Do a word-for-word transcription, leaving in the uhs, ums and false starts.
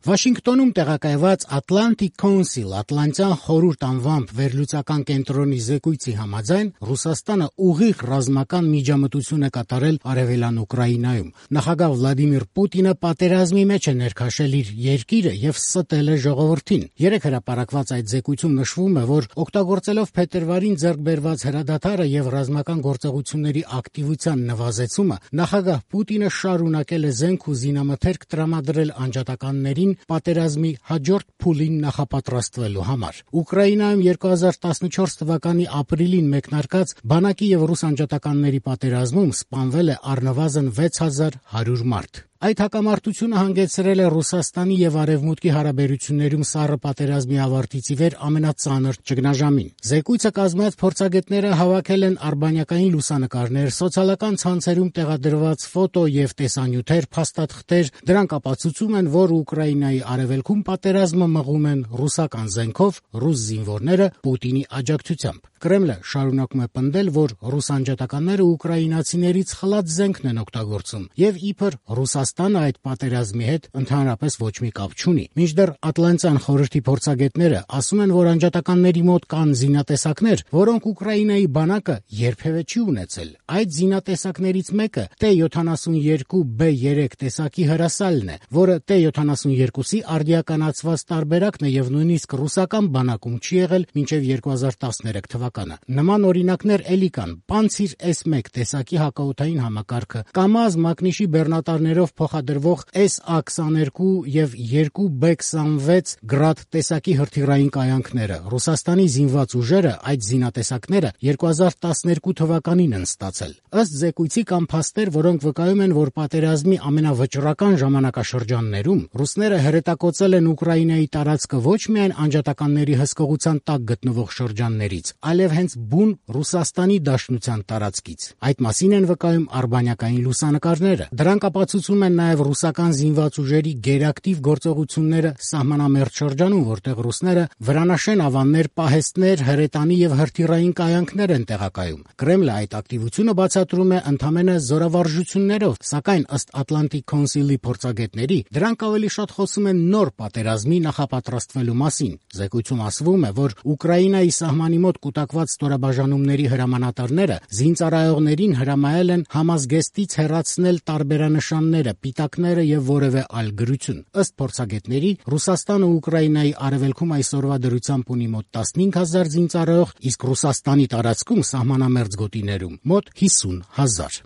Վաշինգտոնում տեղակայված Atlantic Council Ատլանտյան խորհուրդ անվամբ վերլուծական կենտրոնի զեկույցի համաձայն Ռուսաստանը ուղիղ ռազմական միջամտություն է կատարել արևելյան Ուկրաինայում։ Նախագահ Վլադիմիր Պուտինը պատերազմի մեջ է ներքաշել իր երկիրը եւ ստել է ժողովրդին։ Երեք հրապարակված այդ զեկույցում նշվում է, որ օգտագործելով փետրվարին ձեռք բերված հրադադարը եւ ռազմական գործողությունների ակտիվության նվազեցումը, նախագահ Պուտինը շարունակել է զենք ու զինամթերք տրամադրել անջատականներին պատերազմի հաջորդ փուլին նախապատրաստվելու համար։ Ուկրաինայում երկու հազար տասնչորս թվականի ապրիլին մեկնարկած բանակի եւ ռուս անջատականների պատերազմում սպանվել է առնվազն վեց հազար հարյուր մարդ։ Այդ հակամարտությունը հանգեցրել է Ռուսաստանի եւ Արևմուտքի հարաբերություններում սառը պատերազմի ավարտից ի վեր ամենածանր ճգնաժամին։ Զեկույցը կազմած փորձագետները հավաքել են արբանյակային լուսանկարներ, սոցիալական ցանցերում տեղադրված ֆոտո եւ տեսանյութեր, փաստաթղթեր, դրանք ապացուցում են, որ Ուկրաինայի արևելքում պատերազմը մղում են ռուսական զենքով ռուս զինվորները Պուտինի աջակցությամբ։ Կրեմլը շարունակում է պնդել, որ ռուս անջատականները ուկրաինացիներից խլած զենքն են օգտագործում եւ իբր Ռուսաստանը այդ պատերազմի հետ ընդհանրապես ոչ մի կապ չունի։ Մինչդեռ Ատլանտյան խորհրդի փորձագետները ասում են, որ անջատականների մոտ կան զինատեսակներ, որոնք Ուկրաինայի բանակը երբևէ չի ունեցել։ Այդ զինատեսակներից մեկը Տե յոթանասունյոթ Բ երեք տեսակի հրասալն է, որը Տե յոթանասունյոթի արդիականացված տարբերակն է եւ նույնիսկ ռուսական բանակում չի եղել մինչեւ երկու հազար տասներեք թվականը։ Նման օրինակներ էլի կան. Պանցիր էս մեկ տեսակի հակաօդային համակարգը, Կամազ Մակնիշի բեռնատարներով փոխադրվող Էս Ա քսաներկու եւ երկու Բ քսանվեց գրադ տեսակի հրթիռային կայանքները։ Ռուսաստանի զինված ուժերը այդ զինատեսակները երկու հազար տասներկու թվականին են ստացել։ Ըստ զեկույցի կան փաստեր, որոնք վկայում են, որ պատերազմի ամենավճռական ժամանակաշրջաններում ռուսները հրետակոծել են Ուկրաինայի տարածքը ոչ միայն անջատականների հսկողության տակ գտնվող շրջաններից, այլև հենց բուն Ռուսաստանի Դաշնության տարածքից։ Այդ մասին են վկայում արբանյակային լուսանկարները։ Դրանք ապացուցում են նաև ռուսական զինված ուժերի գերակտիվ գործողությունները սահմանամերձ շրջանում, որտեղ ռուսները վրանաշեն ավաններ, պահեստներ, հրետանի եւ հրթիռային կայանքներ են տեղակայում։ Կրեմլը այդ ակտիվությունը բացատրում է ընդամենը զորավարժություններով, սակայն ըստ Atlantic Council-ի փորձագետների, դրանք ավելի շատ խոսում են նոր պատերազմի նախապատրաստվելու մասին։ Զեկույցում ասվում է, որ Ուկրաինայի սահմանի մոտ կուտակված ստորաբաժանումների հրամանատարները զինծառայողներին հրամայել են համազգեստից հեռացնել տարբերանշանները, պիտակները եւ որևէ այլ գրություն։ Ըստ փորձագետների, Ռուսաստանը Ուկրաինայի արևելքում այսօրվա դրությամբ ունի մոտ տասնհինգ հազար զինծառայող, իսկ Ռուսաստանի տարածքում սահմանամերձ գոտիներում մոտ հիսուն հազար։